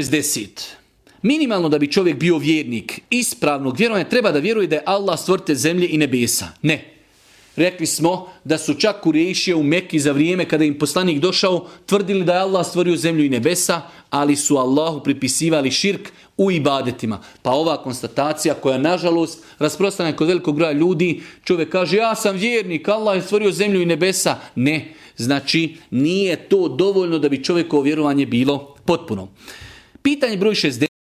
60. Minimalno da bi čovjek bio vjernik ispravnog vjerovanja treba da vjeruje da je Allah stvoritelj zemlje i nebesa. Ne. Rekli smo da su čak Kurejšije u Mekki za vrijeme kada im poslanik došao tvrdili da je Allah stvorio zemlju i nebesa, ali su Allahu pripisivali širk u ibadetima. Pa ova konstatacija koja nažalost rasprostranjena kod velikog broja ljudi, čovjek kaže ja sam vjernik, Allah je stvorio zemlju i nebesa. Ne, znači nije to dovoljno da bi čovjekovo vjerovanje bilo potpuno. Pitanje broj 60.